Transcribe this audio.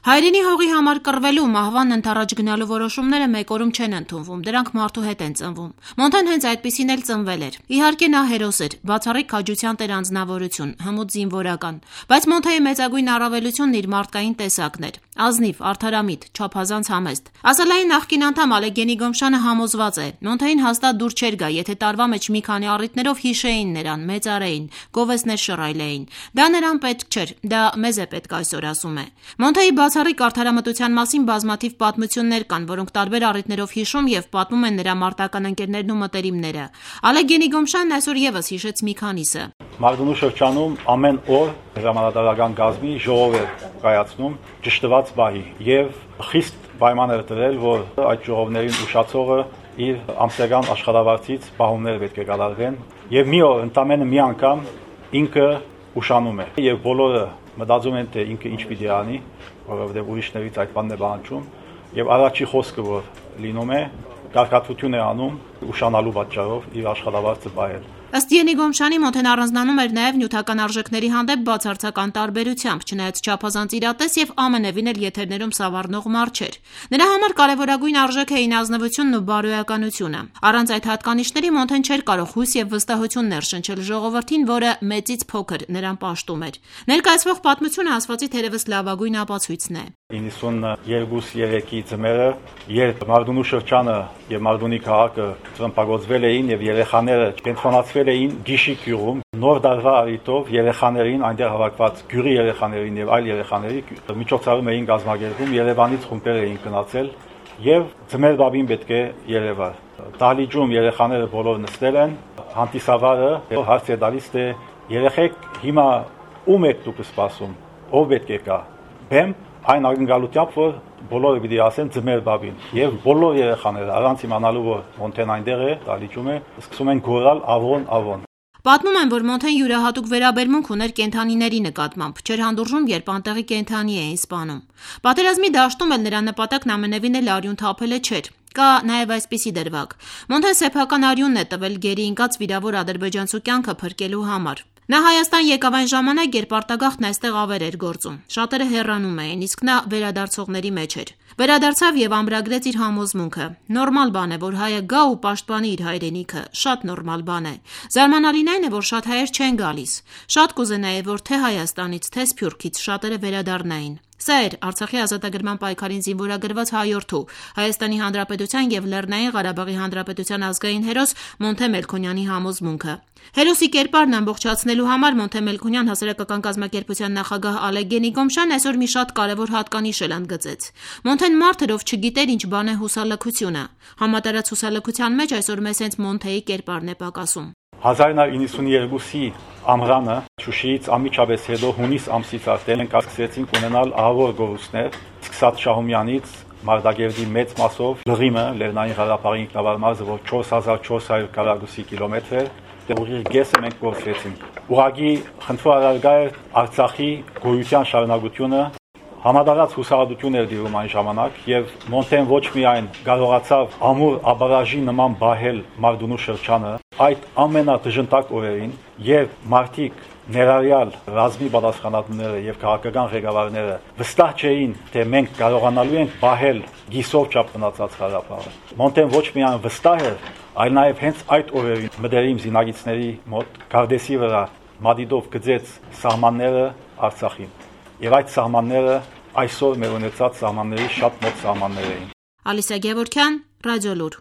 Հայրենի հողի համար կռվելու մահվան ընթառաջ գնալու որոշումները մեկ օրում չեն ընդունվում, դրանք մարդու հետ են ծնվում։ Մոնթեն հենց այդպիսին էլ ծնվել էր։ Իհարկե նա հերոս էր, բացառիկ քաջության տեր անձնավորություն, հմուտ զինվորական, բայց Մոնթեի մեծագույն առավելությունն իր մարդկային տեսակն էր։ Ազնիվ, արդարամիտ, չափազանց համեստ։ Ասալայի նախկին անդամ Ալեգենի Գոմշանը համոզված է, Մոնթեին հաստատ դուր չէր գա, եթե տարվա մեջ մի քանի առիթներով հիշեին նրան, մեծարեին, գովեստներ շռայլեին։ Դա նրան պետք չէր, դա մեզ է պետք այսօր, ասում է։ Մոնթեի բացառիկ արդարամտության մասին բազմաթիվ պատմություններ կան, որոնք տարբեր առիթներով հիշում եւ պատմում են նրա մարտական ընկերներն ու մտերիմները։ Ալեգենի Գոմշանն այսօր եւս հիշեց մի քանիսը։ Մարտունու շրջանում ամեն օր հրամանատարական գազմի ժողով էր կայացնում ճշտված բահի եւ խիստ պայման էր դրել, որ այդ ժողովներին ուշացողը իր ամսական աշխատավարձից պահումներ պետք է կատարվեն եւ մի օր ընդամենը մի անգամ ինքը ուշանում է եւ բոլորը մտածում են թե ինքը ինչ պիտի անի, որովհետեւ ուրիշներից այդ բանն է բանջում եւ առաջի խոսքը որ լինում է կարգատվություն է անում ուշանալու պատճառով իր աշխատավարձը բայել։ Ըստ Ենի Գոմշանի Մոնթեն առանձնանում էր նաև նյութական արժեքների հանդեպ բացարձական տարբերությամբ, չնայած չափազանց իրատես եւ ամենևին էլ եթերներում սավառնող մարդ չէր։ Նրա համար կարևորագույն արժեք էին ազնվությունն ու բարոյականությունը։ Առանց այդ հատկանիշների Մոնթեն չէր կարող հույս եւ վստահություն ներշնչել ժողովրդին, որը մեծից փոքր նրան պաշտում էր։ Ներկայացվող պատմությունը ասվածի թերևս լավագույն ապացույցն է։ 92-3-ի ձմեռը, երբ Մարտունու շրջանը եւ Մարտունի քաղաքը ծմպագործվել էին եւ երեխաները կենտրոնացվել էին Գիշի գյուղում, նոր դարվա առիթով երեխաներին այնտեղ հավաքված գյուղի երեխաներին եւ այլ երեխաների միջոցառում էին կազմակերպում, Երևանից խումբեր էին գնացել եւ ձմեռ բաբին պետք է երևար։ Դահլիճում երեխաները բոլոր նստել են, հանդիսավարը հարց է տալիս թե երեխեք հիմա ում եք դուք սպասում, ով պետք է գա։ Բեմ այն ակնկալությամբ որ բոլորը պիտի ասեն ձմեռ բաբին եւ բոլոր երեխաները առանց իմանալու որ Մոնթեն այնտեղ է, դահլիճում է, սկսում են գոռալ ավոն։ Պատմում են, որ Մոնթեն յուրահատուկ վերաբերմունք ուներ կենդանիների նկատմամբ, չէր հանդուրժում, երբ անտեղի կենդանի էին սպանում։ Պատերազմի դաշտում էլ նրա նպատակն ամենևին էլ արյուն թափելը չէր։ Կա նաև այսպիսի դրվագ։ Մոնթեն սեփական արյունն է տվել գերի ընկած վիրավոր ադրբեջանցու կյանքը փրկելու համար։ Նա Հայաստան եկավ այն ժամանակ, երբ արտագաղթն այստեղ ավեր էր գործում։ Շատերը հեռանում էին, իսկ նա վերադարձողների մեջ էր։ Վերադարձավ եւ ամրագրեց իր համոզմունքը։ Նորմալ բան է, որ հայը գա ու պաշտպանի իր հայրենիքը, շատ նորմալ բան է։ Զարմանալին այն է, որ շատ հայեր չեն գալիս։ Շատ կուզենայի, որ թե Հայաստանից, թե Սփյուռքից շատերը վերադառնային։ Սա էր Արցախի ազատագրման պայքարին զինվորագրված հայորդու, Հայաստանի Հանրապետության եւ Լեռնային Ղարաբաղի Հանրապետության ազգային հերոս Մոնթե Մելքոնյանի համոզմունքը։ Հերոսի կերպարն ամբողջացնելու համար Մոնթե Մելքոնյան հասարակական կազմակերպության նախագահ Ալեգենի Գոմշան այսօր մի շատ կարևոր հատկանիշ էլ ընդգծեց։ Մոնթեն մարդ էր, ով չգիտեր ինչ բան է հուսալքությունը։ Համատարած հուսալքության մեջ այսօր մեզ հենց Մոնթեի կերպարն է պակասում։ 1992-ի ամռանը Շուշիից անմիջապես հետո հունիս ամսից արդեն կասկեցինք ունենալ ահավոր գորուստներ, սկսած Շահումյանից Մարտակերտի մեծ մասով Լղիմը, Լեռնային Ղարաբաղի ինքնավար մարզը, որ 4400 քառակուսի կիլոմետր է, ուղիղ գեսը մենք գործեցինք։ Ուղղակի խնդրարարգա էր Արցախի գոյության շարունակությունը, համադարած հուսահատություն էր դիրում այն ժամանակ եւ Մոնթեն ոչ միայն կարողացավ ամուր աբարաժի նման բահել Մարտունու շրջանը, այդ ամենադժնդակ օրերին, երբ մարդիկ ներառյալ ռազմի պատասխանատուները եւ քաղաքական ղեկավարները վստահ չէին, թե մենք կարողանալու ենք բահել գիսով չափ մնացած Ղարաբաղը։ Մոնթեն ոչ միայն վստահ էր, այլ նաեւ հենց այդ օրերին մտերիմ զինագիծների մոտ Գարդեսի վրա մադիդով գծեց սահմանները Արցախին։ Եվ այդ սահմանները այսօր մեր ունեցած սահմանների շատ մոտ սահմաններ էին։ Ալիսա Գևորգյան, Ռադիոլուր։